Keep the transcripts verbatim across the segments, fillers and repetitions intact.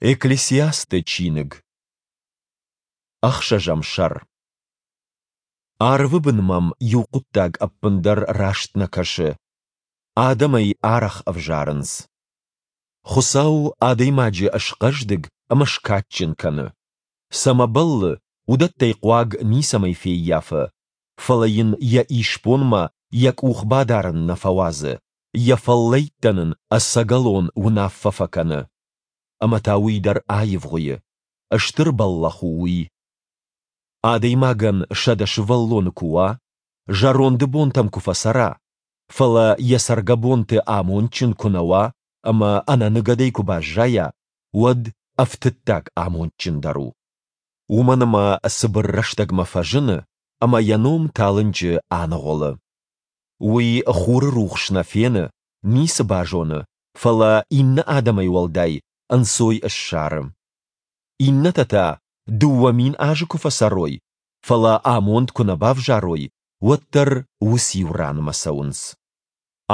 Экклесиасты чиныг. Ӕхсӕзӕм сӕр. Арвы бын мӕм иу хъуыддаг ӕппындӕр раст нӕ кӕсы. Адӕм ӕй арӕх ӕвзарынц. Хуыцау адӕймаджы схъӕздыг ӕмӕ скадджын кӕны. Цӕмӕ бӕллы, уыдӕттӕй хъуаг ницӕмӕй феййафы, фӕлӕ йын йӕ исбонмӕ йӕ къух бадарын нӕ фӕуадзы, йӕ фӕллӕйттӕн ын ӕцӕгӕлон уынаффӕ фӕкӕны. Ӕмӕ та уый дӕр аивгъуыйы. Стыр бӕллӕх у уый. Адӕймагӕн сӕдӕ сывӕллоны куы уа, зӕронды бонтӕм куы фӕцӕра, фӕлӕ йӕ цӕргӕбонты амондджын куы нӕ уа ӕмӕ ӕнӕныгӕдӕй куы баззайа, уӕд ӕфтыддаг амондджындӕр у. Уымӕн ӕмӕ цыбыр рӕстӕгмӕ фӕзыны ӕмӕ йӕ ном талынджы аныгъуылы. Уый хуры рухс нӕ фены, ницы базоны, фӕлӕ иннӕ адӕмӕй уӕлдай ӕнцой ссары. Иннӕтӕ та дыууӕ мин азы куы фӕцӕрой, фӕлӕ амонд куы нӕ бавзарой, уӕддӕр уыциу ранмӕ цӕуынц.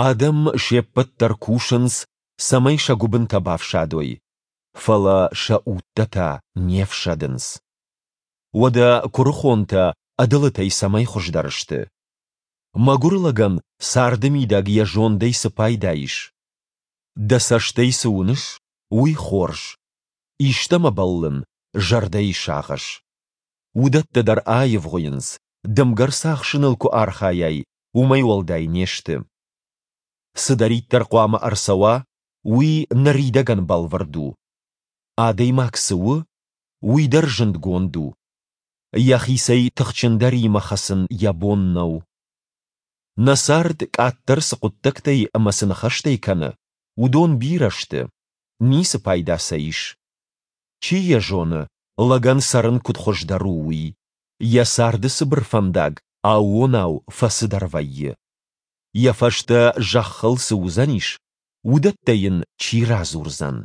Адӕм се ппӕт дӕр кусынц, цӕмӕй сӕ гуыбынтӕ бафсадой, фӕлӕ сӕ удтӕ та не фсӕдынц. Уӕдӕ куырыхонтӕ ӕдылытӕй цӕмӕй хуыздӕр сты? Мӕгуыр лӕгӕн царды мидӕг йӕ зондӕй цы пайда ис? Дӕ цӕстӕй цы уыныс, уый хорз. Истӕмӕ бӕллын — зӕрдӕйы сагъӕс. Уыдӕттӕ дӕр аивгъуыйынц, дымгӕ рцахсыныл куы архайай, уымӕй уӕлдай не сты. Цыдӕриддӕр хъуамӕ ӕрцӕуа, уый ныридӕгӕн бӕлвырд у. Адӕймаг цы у, уый дӕр зындгонд у. Йӕхицӕй тыхджындӕримӕ хӕцын йӕ бон нӕу. Нӕ цард къаддӕр цы хъуыддӕгтӕй ӕмӕ цы ныхӕстӕй кӕны, уыдон бирӕ сты, ницы пайда сӕ ис. Чи йӕ зоны, лӕгӕн цӕрын куыд хуыздӕр у, уый? Йӕ царды цыбыр фӕндаг аууонау фӕцыдӕр вӕййы. Йӕ фӕстӕ зӕххыл цы уыдзӕнис, уыдӕттӕ йын чи радзурдзӕн?